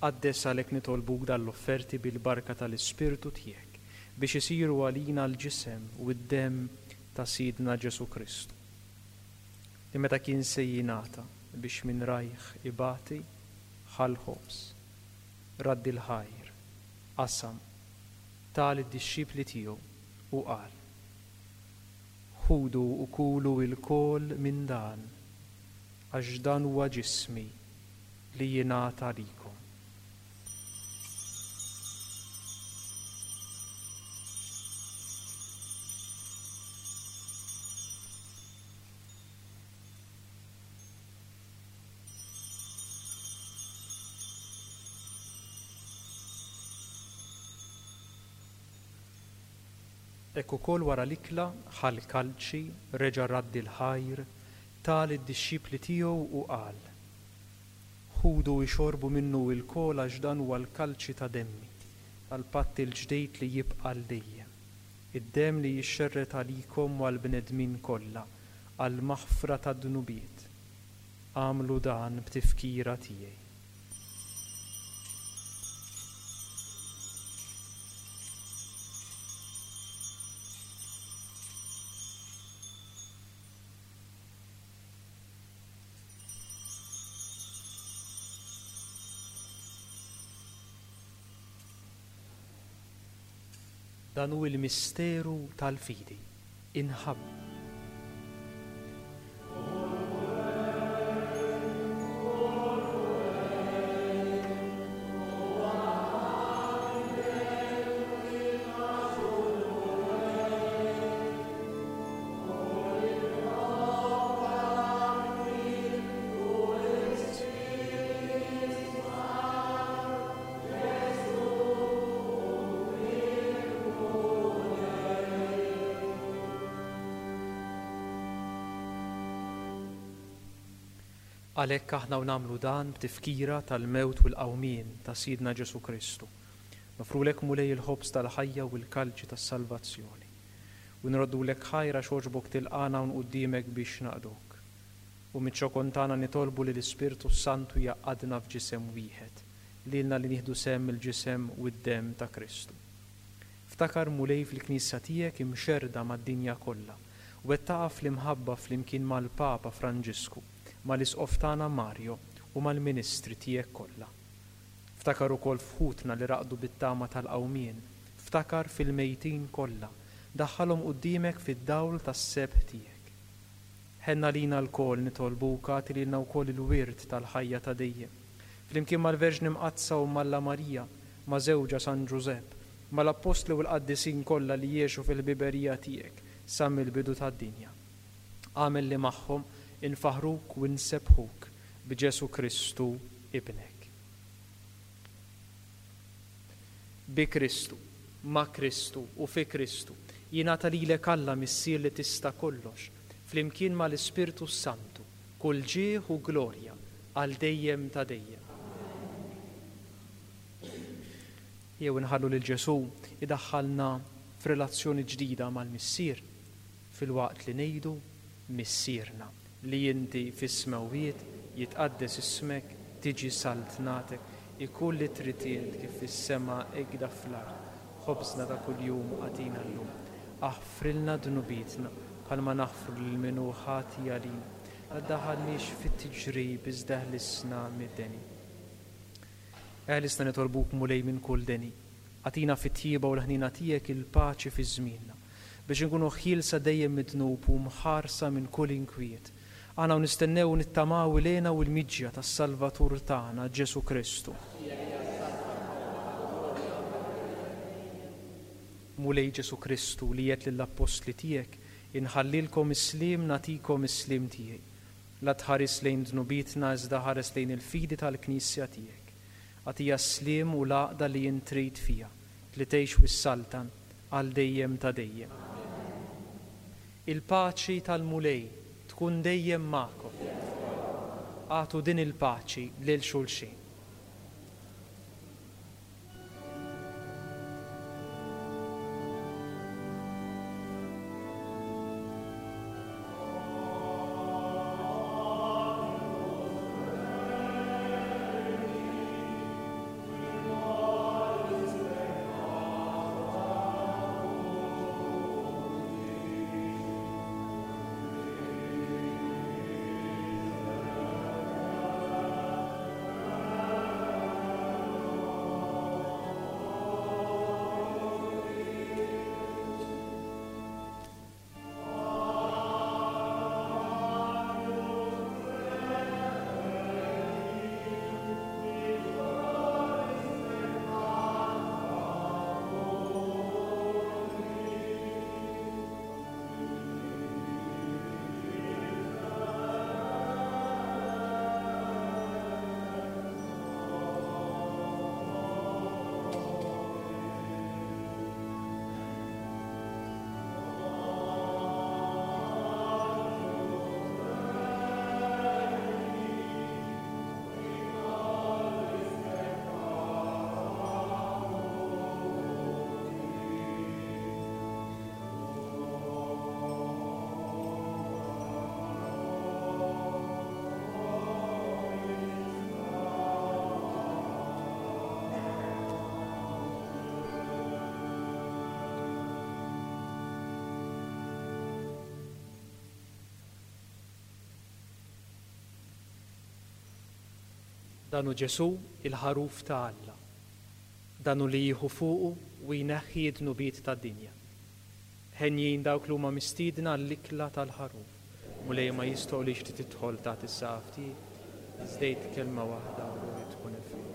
D: Qaddes għalhekk nitolbuk dal-offerti bil-barka tal-Ispirtu tiegħek biex isiru għalina l-ġisem u d-demm ta' Sidna Ġesu Kristu. Li meta kien se jingħata biex minn rajh ibati ħa l-ħobż, radd il-ħajr, qasam, ta lid-dixxipli tiegħu u qal: Ħudu u kulu lkoll minn dan, għax dan huwa ġismi li jingħata għalikom. Hekk ukoll wara l-ikla ħa l-kalċi, reġa' radd il-ħajr, ta lid-dixxipli tiegħu u qal: Ħudu ixorbu minnu lkoll għax dan huwa l-kalċi ta' demmi, tal-patt il-ġdid li jibqa' għal dejjem, id-demm li jixxerred għalikom u għall-bnedmin kollha għall-maħfra tad-dnubiet. Agħmlu dan b'tifkira tiegħi. Dan hu il-misteru tal-fidi. Inħabb. Għalhekk aħna u nagħmlu dan b'tifkira tal-mewt u l-qawmien ta' Sidna Ġesù Kristu. Nofrulek Mulej il-ħobż tal-ħajja u l-kalċi tas-salvazzjoni. U nroddulek ħajr għax għoġbok tilqagħna hawn quddiemek biex naqduk. U miċ-ċokon tagħna nitolbu li l-Ispirtu Santu jgħaqqadna f'ġisem wieħed, lilna li nieħdu sehem mill-ġisem u d-demm ta' Kristu. Ftakar Mulej fil-Knisja tiegħek imxerrda mad-dinja kollha, wettaqha fl-imħabba flimkien mal-Papa Franġisku, mal-Isqof tagħna Mario u mal-ministri tiegħek kollha. Ftakar ukoll f'ħutna li raqdu bit-tama tal-qawmien, ftakar fil-mejtin kollha, daħħalhom quddiemek fid-dawl tas-sebħ tiegħek. Ħenna lina lkoll nitolbuk agħti lilna wkoll il-wirt tal-ħajja ta' dejjem. Flimkien mal-Verġni Mqaddsa u Alla Marija, ma' żewġha San Ġużepp, mal-Appostli u l-qaddisin kollha li jgħixu fil-ħbiberija tiegħek sa mill-bidu tad-dinja. Agħmel li magħhom infaħruk u nsebbħuk b'Ġesù Kristu ibnek. Bi Kristu, ma' Kristu u fi Kristu, jingħata lilek Alla Missier li tista' kollox, flimkien mal-Ispirtu Santu, kull ġieħ u glorja għal dejjem ta' dejjem. Jew inħallu lil Ġesù idaħħalna f'relazzjoni ġdida mal-Missier, filwaqt li ngħidu Missierna li inti fis-smewwiet, jitqaddes ismek, tiġi saltnatek, ikun li trid int kif fis-sema hekk fl-art. Ħobżna ta' kuljum agħtina llum. Aħfrilna dnubietna bħalma naħfru lil min hu ħati għalina. La ddaħħalniex fit-tiġrib iżda eħlisna mid-deni. Eħlisna nitolbuk Mulej minn kull deni. Agħtina fit-tjieba u l-ħnina tiegħek il-paċi fi żmienna, biex inkunu ħielsa dejjem mid-dnub u mħarsa minn kull inkwiet. Aħna u nistennew u nittamaw l-hena u l-miġja tas-Salvatur tagħna Ġesù Kristu. Mulej Ġesù Kristu li għedt lill-appostli tiegħek, inħallilkom is-sliem nagħtikom is-sliem tiegħi. La tħares lejn dnubietna iżda ħares lejn il-fidi tal-Knisja tiegħek. Agħtiha s-sliem u l-għaqda li int trid fiha, li tgħix u ssaltan għal dejjem ta' dejjem. Il-paċi tal-Mulej tkun dejjem magħkom. Agħtu din il-paċi lil xulxin. Dan hu Ġesù il-ħaruf ta' Alla. Dan hu li jieħu fuqu u jneħħi d-dnubiet tad-dinja. Henjin dawk li huma mistiedna għall-ikla tal-ħaruf. Mulej ma jistħoqqlix li tidħol taħt is-saqaf tiegħi, iżda għid kelma waħda u ruħi tkun ifriet.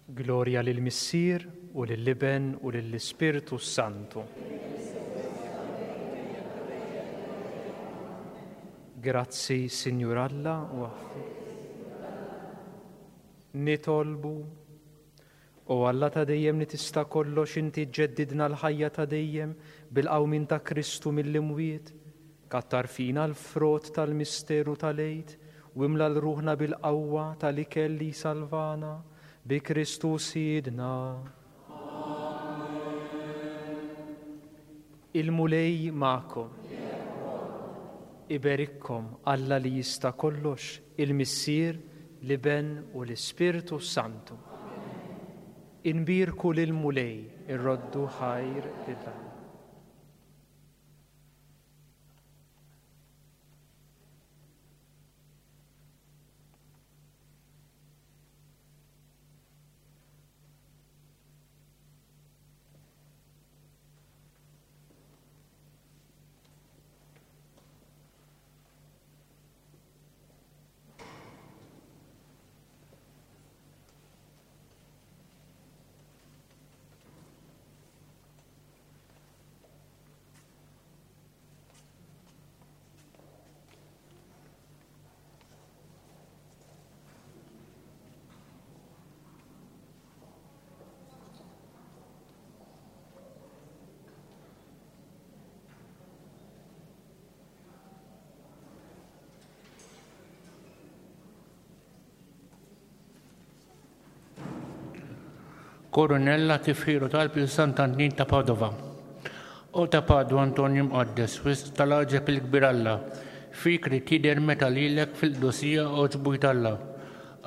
B: Glorja lill-Missier u lill-Iben u lill-Ispirtu Santu. Grazzi, Sinjur Alla, u aħfir. Nitolbu, o Alla ta' dejjem li tista' kollox, inti ġġeddidna l-ħajja ta' dejjem bil-qawmien ta' Kristu mill-imwiet, kattar fina l-frott tal-misteru tal-Għid u imla l-ruħna bil-qawwa tal-ikel li salvana, bi Kristu Sidna. Il-Mulej magħkom. Iberikkom Alla li jista' kollox, il-Missier, l-Iben u l-Ispirtu Santu. Inbierku lill-Mulej, irroddu ħajr lil Alla.
C: Koronella tifħiru talb il Sant'Antin ta' Padova. O ta' Padua Antonio Mqaddes, wisq tal-għaġeb il-kbir Alla, fik rid jidher meta lilek fil-qdusija għoġbu Alla.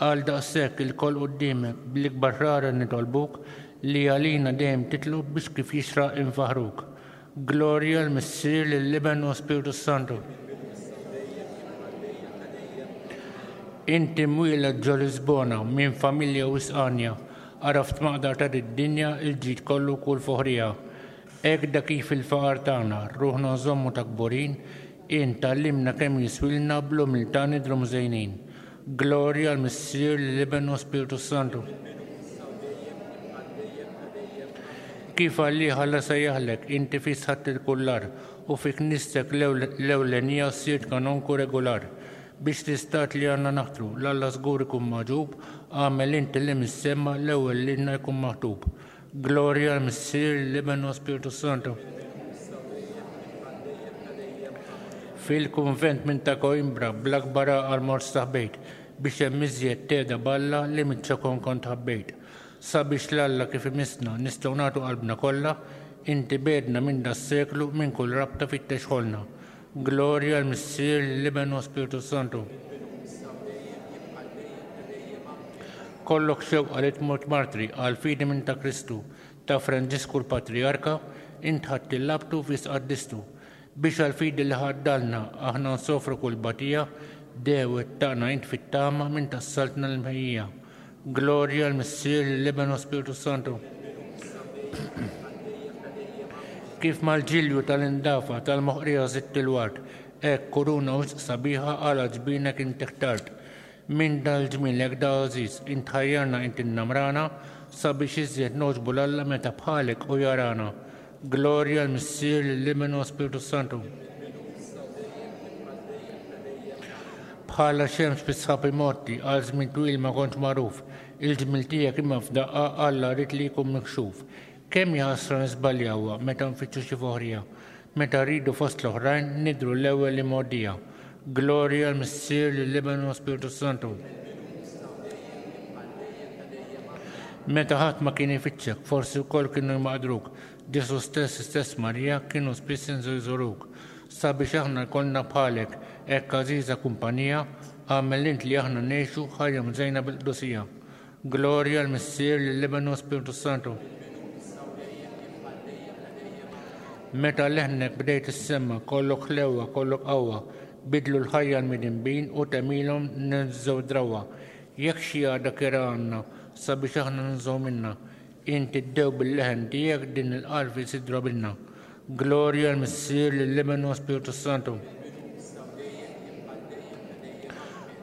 C: Għal daqshekk ilkoll quddiemek bl-ikbar rara nitolbuk li għalina dejjem titlob biex kif jixraq infaħruk. Glorja l-Missier, lill-Iben u Spiritu Santu. Inti mwieled ġo Lisbona minn familja wisqanja, għaraft maqdar ta' id-dinja il-ġid kollu kull foħrija. Hekk da kif il-faqar tagħna, ruħna nżommu ta' kburin, int tgħallimna kemm jiswilna bl-umiltà nidhru mżejnin. Glorja l-Missier, l-Iben u Spiritu Santu. Kif għalih Alla sejjaħlek, inti fi sħatt il-kullar u fi knistek l-ewlenija sirt kanonku regolar. Biex l-istat li għandna naħtru, l-Alla żgur ikun magħġub, għamel inti li mis-sema l-ewwel lilna jkun maħtub. Glorja l-Missier, l-Iben u Spiritu Santu. Fil-kunvent minn ta' Coimbra bl-akbar għaqal mort staħbejt biex hemm iżjed teda balla li miċ-ċokon kont ħabbejt. Sabiex l-Alla kif imissna nistgħu nagħtu qalbna kollha, inti bedna minn das-seklu minn kull rabta fittex ħolna. Glorja l-Missier, l-Iben u Spiritu Santu. Kollok xewqa li tmut martri għal fidi minn ta' Kristu, ta' Franġisku l-Patriarka, int ħadd il-labtu fis qaddistu. Biex għal fidi li ħaddalna aħna nsofru kull batija, dewet tagħna int fit-tama minn tas-saltna l-mħejjija. Glorja l-Missier, l-Iben u Spiritu Santu. Kif mal-ġilju tal-indafa tal-moħqrija zitt il-ward, hekk kuruna wisq sabiħa għala ġbinek inti ħtart. Minn dal-ġmielek da għażiż, int ħajjarna int innamrana, sabiex iżjed nogħġbu l-Alla meta bħalek u jarana. Glorja l-Missier, l-Iben u Spiritu Santu. Bħala xemx fis-sħab imorti, għal żmien twil ma kontx magħruf, il-ġmiel tiegħek imma f'daqqa Alla rid li jkun mikxuf. Kemm jaħasra nisbaljawha meta nfittxu xi foħrija, meta rridu fost l-oħrajn nidhru l-ewwel li mgħoddija. Glorja l-Missier, lill-Iben u Spiritu Santu. Meta ħadd ma kien ifittxek, forsi wkoll kienu jmaqdruk, Ġesu stess, stess Marija kienu spiss inżu jżuruk. Sabiex aħna jkollna bħalek hekk għażiża kumpanija, għamel int li aħna ngħixu ħajja mżejna bil-qdusija. Glorja l-Missier, lill-Iben u Spiritu Santu. Meta leħnek bdejt issemma, kollok ħlewwa, kollok qawwa, bidlu l-ħajja l-midinbin u temilhom ninżgħu drawwa. Jekk xi għada kera għandna sabiex aħna ninżgħu minna, inti ddew bil-leħen tiegħek din il-qalb isidra bilna. Glorja l-Missier, lill-Iben u Spiritu Santu.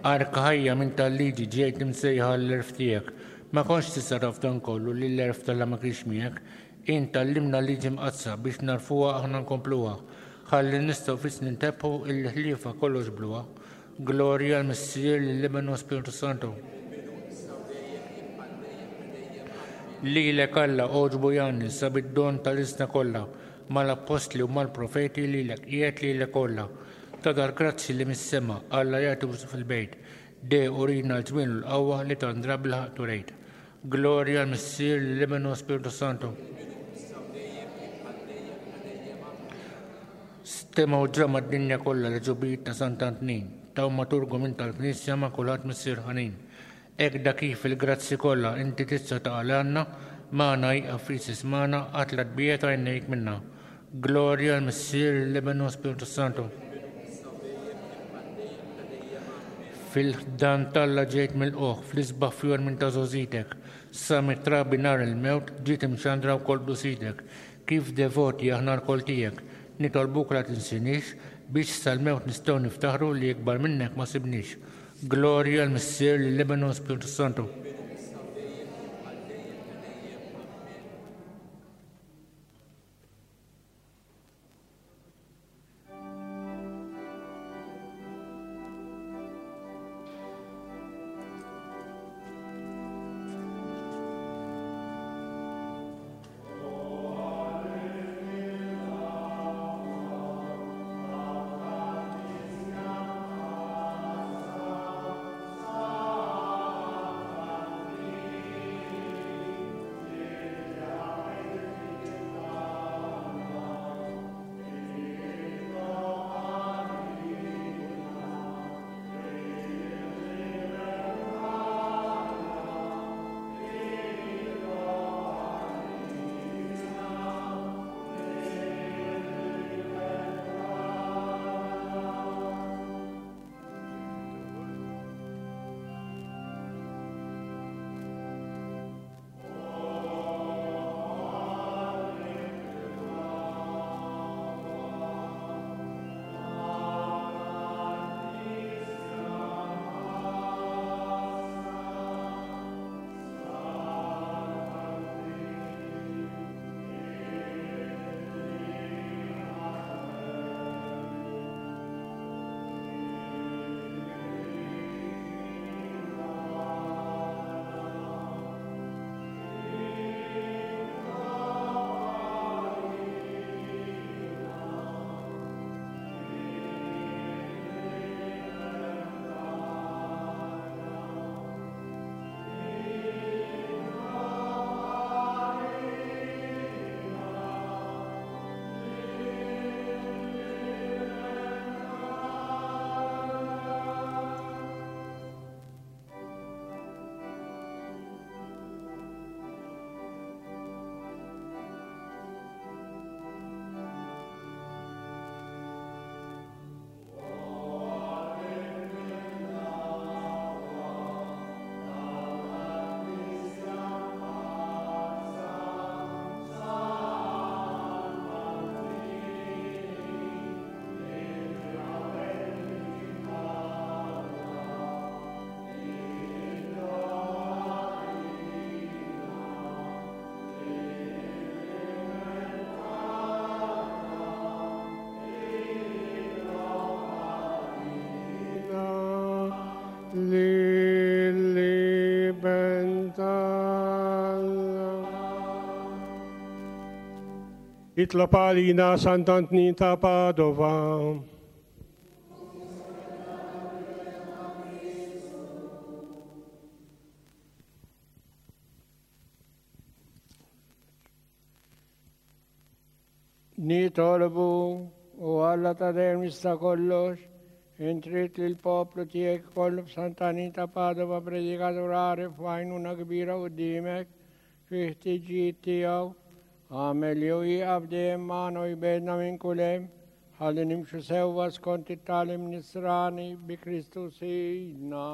C: Arka ħajja minn tal-liġi ġejt imsejħa l-erf tiegħek, Ma kontx tista' taf dan kollu li l-għerf t'Alla ma kienx miegħek. Int tgħallimna l-liġi mqaddsa biex narfuha aħna nkompluha. Ħalli nistgħu fis nintebħu il-ħliefa kollox bluha. Glorja l-Missier, lill-Iben u Spiritu Santu. Lilek Alla għoġbu jgħanni sab id-don tal-isna kollha, mal-appostli u mal-profeti lilek qiegħed lilek kollha. Ta' dal-grazzi li mis-sema Alla jagħti fil-bejt. De urina l-ġmien u l-qawwa li tandra bil-ħaqq turejt. Glorja l-Missier, lill-Iben u Spiritu Santu. Stema u ġrama d-dinja kollha li ġubijiet ta' Sant'Antnin, taw ma turgu minn tal-Knisja ma' kulħadd Missier ħanin. Hekk da kif il-grazzi kollha inti tista' taqalgħalna, magħna jieqaf fis ismana qatt la tbiegħed għajnejk minna. Glorja l-Missier, lill-Iben u Spiritu Santu. Fil-ħdan t'Alla ġejt mill-qoħ, fl-isbaħ fjor minn ta' żgħożitek, sa mit-trabi nhar il-mewt ġiet imxandra wkoll blusitek. Kif devoti aħna lkoll tiegħek, nitolbuk la tinsinix biex sal-mewt nistgħu niftaħru li ikbar minnek ma sibniex. Glorja l-Missier, lill-Iben u Spiritu Santu.
F: Itlob għalina Sant'Antnin ta' Padova.
G: Nitolbu u Alla ta' dejjem jista' kollox, intrid li l-poplu tiegħek kollu b'Sant'Antnin ta' Padova predikatur għaref u għajnuna kbira quddiemek fi ħtiġijiet tiegħu. Għamel jew jieqaf dejjem magħna u jbedna minn kull hemm, ħalli nimxu sewwa skont it-tagħlim nisrani bi Kristu Sidna.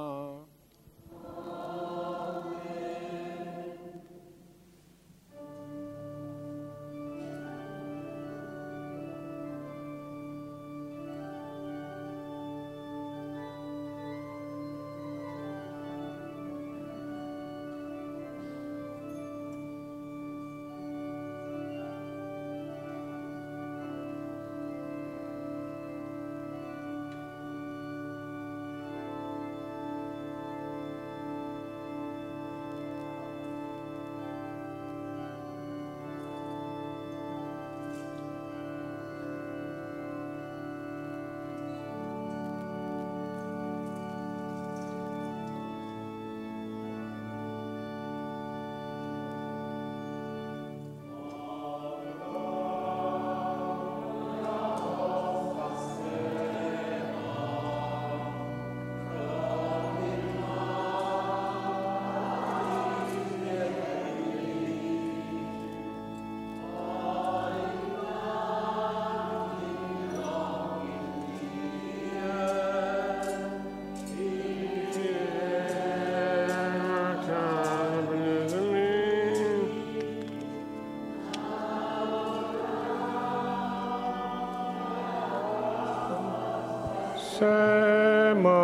F: Fis-sema,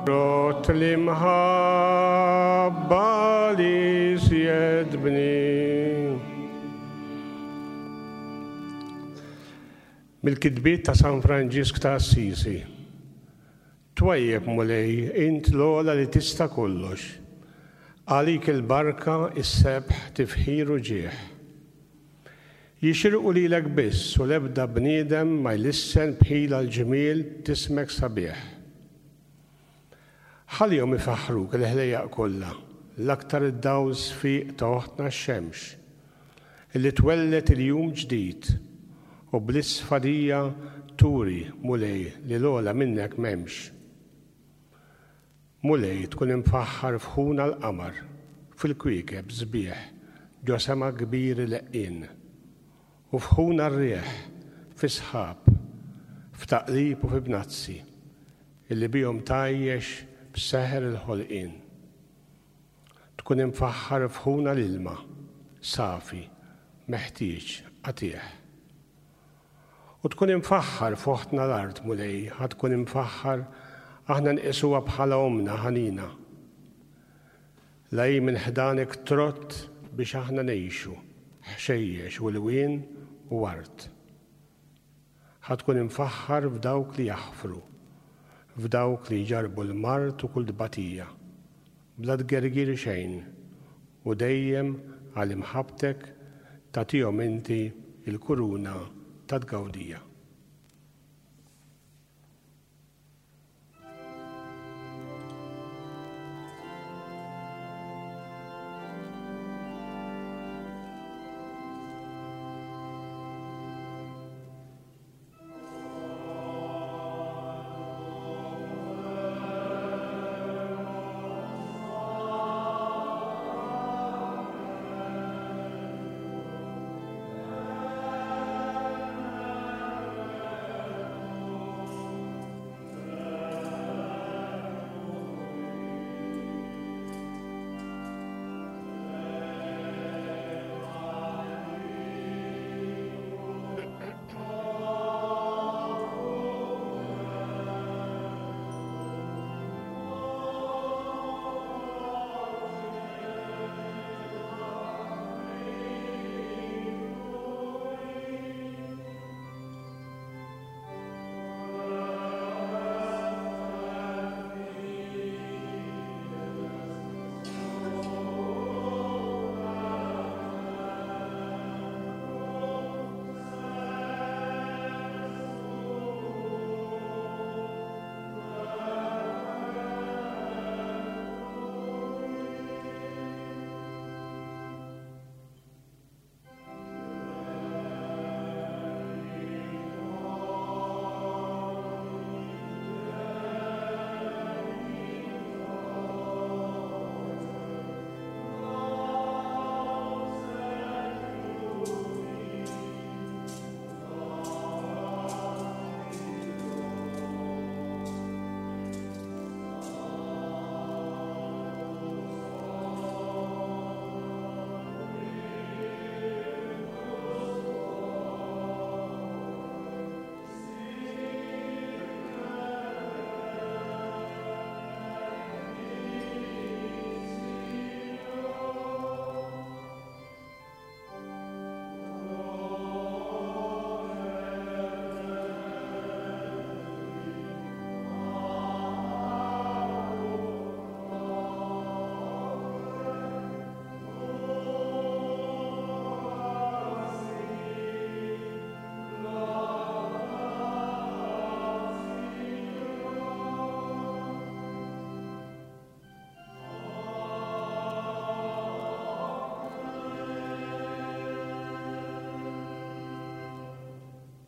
F: rot l-imħabba li sjed bni. Mill-kitbiet ta' San Franġisk ta' Assisi. Twajjeb Mulej, int l-ogħla li tista' kollox. Għalik il-barka, is-sebħ, tifħir u ġieħ. Jixirqu lilek biss u l-ebda bniedem ma jlissen bħila l-ġmiel tismek sabiħ. Ħallihom ifaħħruk il-ħlejjaq kollha, l-aktar id-dawl sfiq ta' oħtna x-xemx, illi twellet il-jum ġdid u bl-isfadija turi, Mulej, li l-ogħla minnek m'hemmx. Mulej tkun imfaħħar f'ħuna l-qamar, fil-kwiekeb sbieħ, ġo sema kbir leqqien, u f'ħuna r-riħ, fi sħab, f'taqlib u fi bnazzi, illi bihom tgħajjex b'seħer il-ħolqien. Tkun imfaħħar f'ħuna l-ilma, safi, meħtieġ, qatih. U tkun imfaħħar f'oħtna l-art, Mulej, ħa tkun imfaħħar aħna nqisuha bħala omna ħanina. La hi minn ħdanek trott biex aħna ngħixu, ħxejjex u lwien u art. Ħa tkun imfaħħar f'dawk li jaħfru, f'dawk li jġarbu l-mard u kull tbatija, bla tgergir xejn, u dejjem għal imħabbtek tagħtihom inti il-kuruna ta' tgawdija.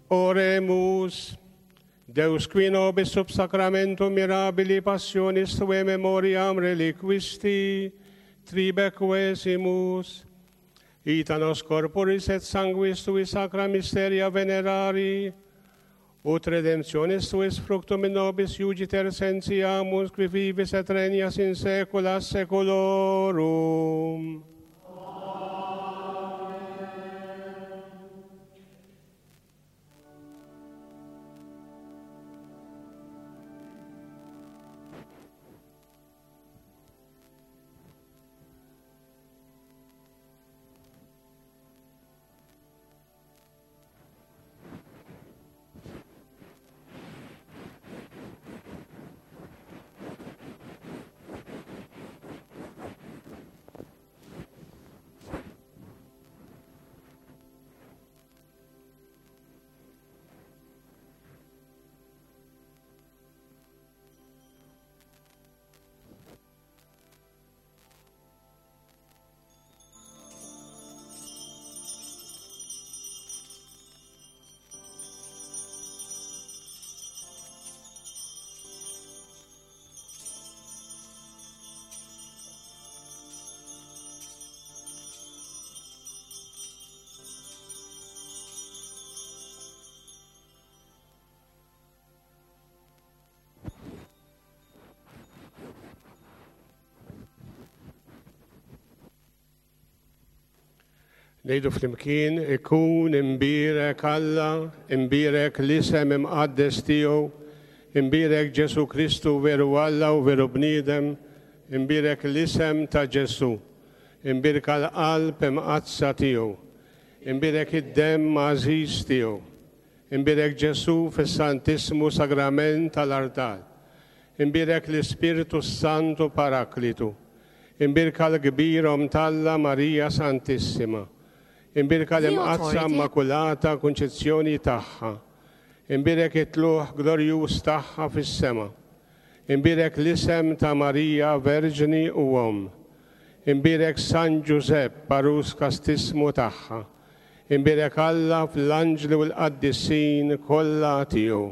F: Oremus, Deus qui nobis sub sacramentum mirabili passionis tue memoriam reliquisti, tribe quesimus, ita nos corporis et sanguis tui sacra mysteria venerari, ut redemptionis tuis fructum in nobis iugiter sentiamus, qui vivis et regnas in saecula saeculorum. Ngħidu flimkien, ikun imbierek Alla, imbierek l-isem imqaddes tiegħu, imbierek Ġesu Kristu veru Alla u veru bniedem, imbierek l-isem ta' Ġesu, imbierka l-qalb imqaddsa tiegħu, imbierek id-demm għażiż tiegħu, imbierek Ġesu fis-Santissmu Sagrament tal-Artal, imbierek l-Ispirtu Santu Paraklitu, imbierka l-kbir Omm t'Alla Marija Santissima, imbierka l-imqaddsa Immakulata Kunċizzjoni tagħha, imbierek it-tlugħ glorjuż tagħha fis-sema, imbierek l-isem ta' Marija Verġni u Omm, imbierek San Ġużepp għarus kastissmu tagħha, imbierek Alla fl-anġli u l-qaddisin kollha tiegħu.